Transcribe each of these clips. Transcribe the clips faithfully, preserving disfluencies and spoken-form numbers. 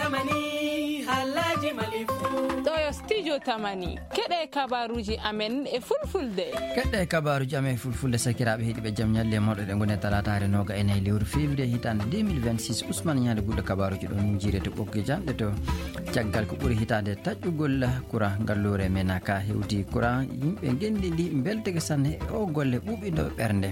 Tamani, haalaaji Mali fuu. Ɗo yo studio Tamani. Keɗe kabaruuji amen e fulfulde. Keɗe kabaruuji amen e fulfulde, sakiraaɓe heɗiiɓe, jam ñalle e moɗo ɗe ngoni talaataare nooga e nayi lewru février hitaande deux mille vingt-six. Ousmane Ñaande Gulɗo kabaruuji ɗon jiire to ɓoggi janɗe to. Caggal ko ɓuri hitaande taƴƴugol kura ngalluure Menaka hewti kura, yimɓe ngenndi ndi mbelteke sanne e o golle ɓuuɓindo ɓernde.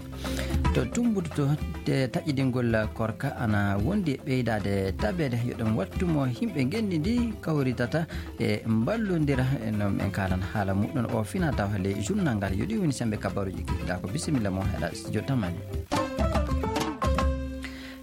To tumbuto to te taƴidingol korka ana wondi e ɓeydaade tabeede, yo ɗum wattu mo yimɓe ngenndi ndi kawritata e mballondira. E noon en kaalan haala muɗum o fina taw le journal ngal. Yo ɗi woni sembe kabaruuji kikiɗa ko. Bisimilla mo heɗa studio Tamani.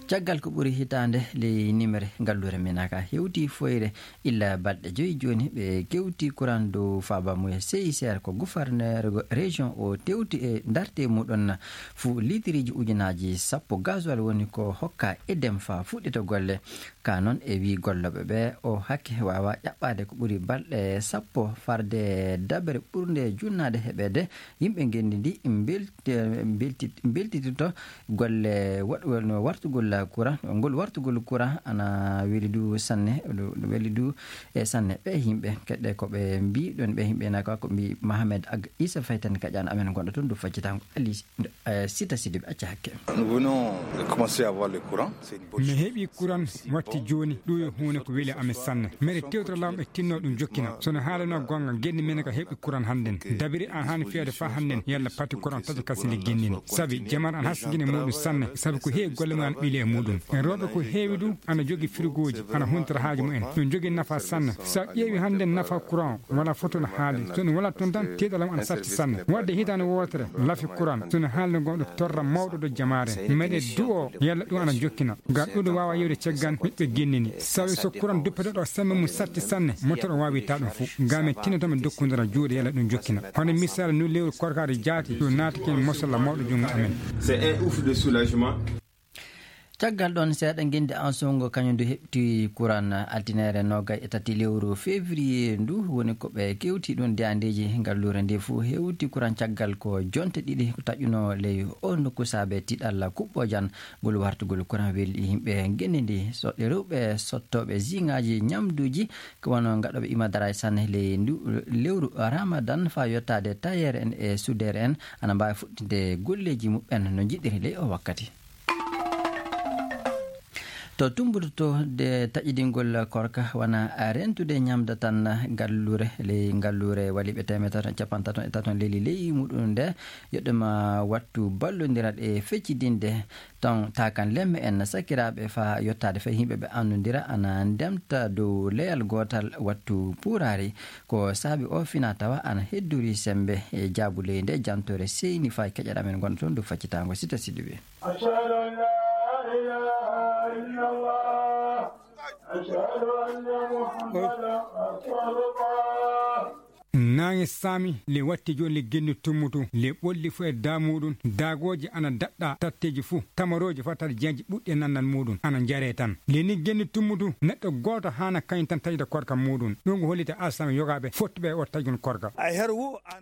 Caggal ko ɓuri hitaande ley nimere ngalluure Menaka hewti foyre illa balɗe joyi jooni ɓe kewti kuran dow faaba muya C I C R ko gouverneur région o tewti e darte muɗum fuu litiriji ujunaaji sappo gasoil woni ko hokka edem fa fuɗɗito golle. Ka noon e wii gollooɓe ɓe o hakke waawa ƴaɓɓaade ko ɓuri balɗe sappo farde dabere ɓurnde junnaade heɓeede yimɓe ngenndi ndi mbelti-, mbelti-, mbeltitito golle waɗ-, waɗ-, wartugol courant. Ngol wartugol courant ana weli du sanne, du, du weli du e sanne. Ɓe yimɓe keɗɗe ko ɓe mbii ɗon, ɓe yimɓe na ko, ko mbii Mohamed Ag Issa Faye tan kaƴaan amen gonɗo toon du faccitango Ali, eh, Sita Sidibe acca hakke. Nous venons de commencer à avoir le courant. C'est une bonne Mi chose. Heɓi kuran watti jooni, ɗum yo huunde ko weli amen sanne. Mbeɗe tewtira laawol ɓe tinno ɗum jokkina. Sono haalano gonga, genni men ka heɓi kuran hannden. Dabiri an haani fiyade fa hannden, yalla pati kuran taƴa kasi ndi gennini. Sabi jamar an hasgine muɗum sanne, sabi ko heewi golle mum ana ɓili e muɗum. En rewɓe ko heewi ɗum ana jogi firigooji, ana huntira haaju mumen. Ɗum jogi nafa sanne. Sa ƴeewi hannden nafa kuran, wala foto no haali. So ɗum wala toon tan, tiiɗalam ana satti sanne. Wadde hitaande wootere, lafi kuran. So no haalde gonɗo torra mawɗo ɗo jamaare. Meɗe du'o, yalla ɗum ana jokkina. Ngam ɗum ɗo waawa yewde caggal ɓiɓɓe gennini. Sawi so kuran duppete ɗo sembe mum satti sanne, motor o waawi ta ɗum fof. Ngam min tinnoto min dokkondira juuɗe yalla ɗum jokkina. Hono misal nu lewru korkaari jaati, ɗum naati ken mosalla mawɗo junngo amen. C'est un ouf de soulagement. Caggal ɗoon seeɗa, ngenndi Ansowngo kañum du heɓti kuran altineere noogay e tati lewru février ndu, woni ko ɓe kewti ɗum de andeeji ngalluure nde fof hewti kuran caggal ko jonte ɗiɗi ko taƴuno ley o nokku saabe tiɗalla kuɓɓojan ngol wartugol kuran welɗi yimɓe ngenndi ndi. So ɗe rewɓe sottooɓe ziŋaaji ñamduuji ko wano ngaɗooɓe imadaraay sanne ley ndu lewru Ramadan faa yottaade tayeer en e sudeer en ana mbaawi fuɗɗinde golleeji muɓɓen no njiɗiri ley o wakkati. To tumbuto to de taƴidingol korka wana rentude ñamda tan ngalluure ley ngalluure waliɓe teemeɗe tato e capanɗe tato e tato leli ley muɗum nde yoɗɗuma wattu ballondira ɗe feccidinde ton takan lemme en sakiraaɓe fa yottaade fay yimɓe ɓe annundira ana ndemta dow leyal gootal wattu puuraari ko saabi o fina tawa ana heddori sembe e jaabu ley nde jantore seyni fay keƴaɗa men gonɗo toon dow faccitango sita siɗuɓe. أشهد أن لا إله إلا الله. أشهد أن محمدا رسول الله. Naange saami, le watti jooni le genni tummutu, le ɓolli fu e daa muuɗum, daagooji ana daɗɗa tatteeji fu, tamarooji fa tata jeeji ɓuɗɗi e nannal muuɗum, ana njaree tan. Le ni genni tummutu, neɗɗo gooto haana kañum tan taƴude korka muuɗum. Ɗum ko hollita alsama yogaaɓe fottuɓe e o taƴgol korka.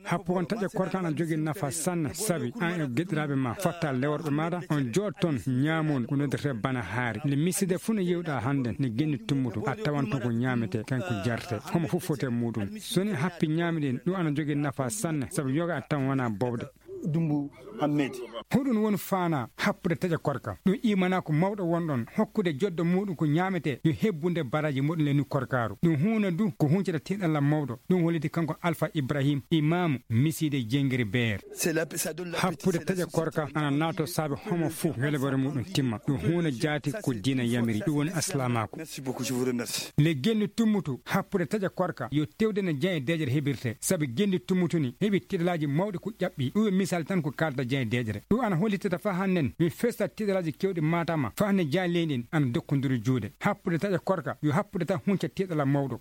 Happu on taƴa korka ana jogii nafa sanne, sabi an e geɗiraaɓe ma, fatta leworɓe maɗa, on jooɗ ton, ñaamon ko noddete bana haari. Nde miside fuu no yewɗa hannde, ne genni tummuto, a tawan ton ko ñaamete, kan ko jarte. Homo fof foti e muuɗum. So ni happi ñaami ɗin, ɗum ana jogii nafa sanne, sabu yoga a tan wona bobde. Dumbu Hammed. Hoɗum woni faana happude taƴa korka? Ɗum imanaa ko mawɗo wonɗon, hokkude joddo muuɗum ko ñaamete, yo hebbunde baraji muɗum le nu korkaaru. Ɗum huuna du ko huncata tiiɗalla mawɗo. Ɗum holliti kanko Alfa Ibrahim, imaamu misiide Jengiri Beer. Happude taƴa korka ana naato saabe homo fof welebore muɗum timma. Ɗum huuna jaati ko diina yamiri. Ɗum woni aslaamaaku. Le genni tummutu happude taƴa korka yo tewde no jan e deeƴere heɓirte. Sabi genni tummutu ni heɓi tiiɗalaaji mawɗi ko ƴaɓɓi. Ɗum e misal tan ko kaalda jan e deeƴere. Ɗum ana hollitata fa hannden mi festa tiiɗalaaji kewɗi maatama fa hannden jan leydi en ana dokkondiri juuɗe. Happude taƴa korka yo happude tan hunca tiiɗala mawɗo.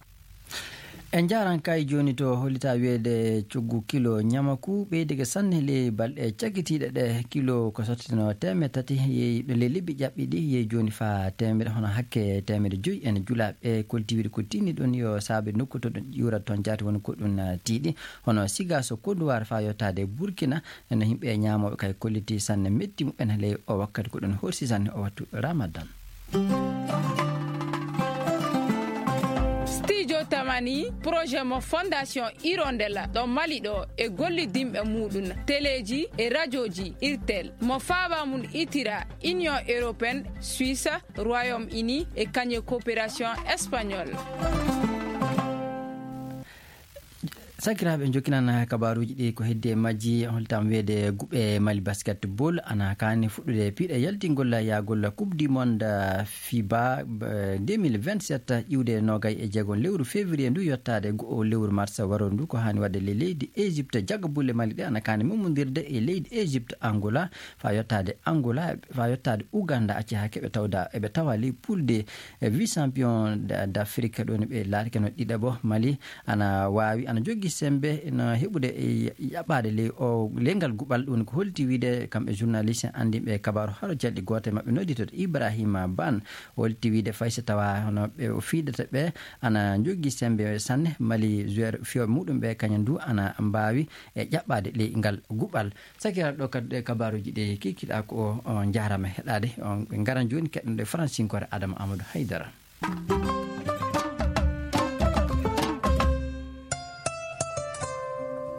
En njaaran kay jooni to hollita wiyeede coggu kilo ñamaku ɓeydike sanne ley balɗe cakkitiiɗe ɗe. Kilo ko sottino teemeɗe tati yeeyi ɗo ley lebbi ƴaɓɓi ɗi yeeyi jooni fa teemeɗe hono hakke teemeɗe joyi en julaaɓe koltiwiri ko tinni ɗon yo saabe nokku to ɗum ƴuura toon jaati woni ko ɗum tiiɗi hono siga so konduwaar fa yottaade Burkina. No yimɓe ñaamooɓe kay kolliti sanne metti mumen ley o wakkati ko ɗum horsi sanne o wattu Ramadan. Tamani projet mo Fondation Hirondella ɗo Mali ɗo e gollidinɓe muɗum teleeji e rajooji Irtel mo faaba mum itira Union Européenne, Suisse, Royaume-Uni e kañe coopération espagnole. Sakiraaɓe, en jokkinan kabaaruuji ɗi ko heddi e majji. Holtam weede guɓe Mali basketball ana kaani fuɗɗude piiɗe yaltingol yaagol Coupe du Monde, fiba, deux mille vingt-sept, iwde nogay e jeegom lewru février ndu yottaade go'o lewru mars waro ndu. Ko haani waɗde le leydi Égypte, jagga bulle Mali ɗe ana kaani mumundirde e leydi Égypte, Angola, faa yottaade Angola, faa yottaade Ouganda, acca haa keɓe tawda eɓe tawa ley poule D, e vice champion d' Afrique ɗo ni ɓe laatike no ɗiɗaɓo. Mali ana waawi, ana joggi sembe no heɓude e yaɓɓaade ley o ley ngal guɓal. Ɗum ko holti wiide kamɓe journaliste anndinɓe kabaaru haro jalɗi gooto e maɓɓe nodditoto Ibrahima Ban, holti wiide fay so tawa hono ɓe o fiidata ɓe ana joggi sembe sanne. Mali joueur fiyooɓe muɗum ɓe kañum du ana mbaawi e ƴaɓɓaade ley ngal guɓal. Sakiraaɗo ɗo kadi ɗe kabaaruuji ɗe kikiɗa ko o njaarama heɗaade on. Ɓe ngaran jooni keɗɗen ɗo e faransinkoore Adama Amadou Haydara.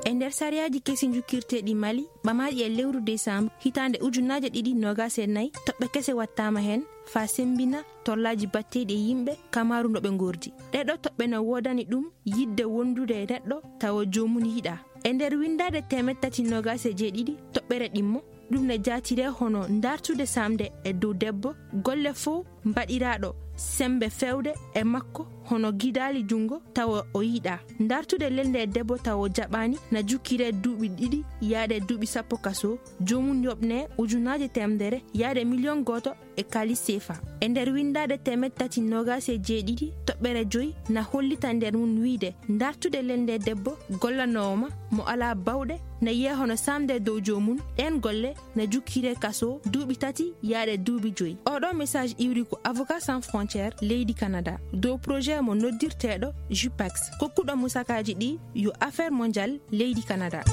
E nder sariyaaji kesi njukkirteeɗi Mali ɓamaaɗi e lewru décembre hitaande ujunaaje ɗiɗi noogaas e nayi, toɓɓe kese wattaama heen faa semmbina torlaaji batteeɗi e yimɓe kamaaru no ɓe ngordi. Ɗee ɗoo toɓɓe no woodani ɗum yiɗde wondude e neɗɗo tawa joomum yiɗaa. E nder winndaade teemeɗɗe tati noogaas e jeeɗiɗi toɓɓere ɗimmo, ɗum ne jaatiree hono ndaartude saamde e dow debbo golle fof mbaɗiraaɗo semmbe feewde e makko hono gidaali junngo tawa o yiɗaa. Ndaartude lelnde e debbo tawa o jaɓaani na jukkiree duuɓi ɗiɗi yaade duuɓi sappo kasoo, joomum yoɓnee ujunaaje teemedere yaade miliyoŋ gooto e kaalis seefa. E nder winndaade teemeɗɗe tati noogaas e jeeɗiɗi toɓɓere joyi na hollita nder mum wiyde ndaartude lelnde debbo gollanoowo ma mo alaa baawɗe na yiyee hono saamde e dow joomum. Ɗeen golle na jukkiree kasoo duuɓi tati yaade duuɓi joyi. Oɗo message iwri ko Avocats sans frontières leydi Canada dow projet mo noddirteeɗo JUPEX, kokkuɗo musakaaji ɗi yo Affaires mondiales leydi Canada.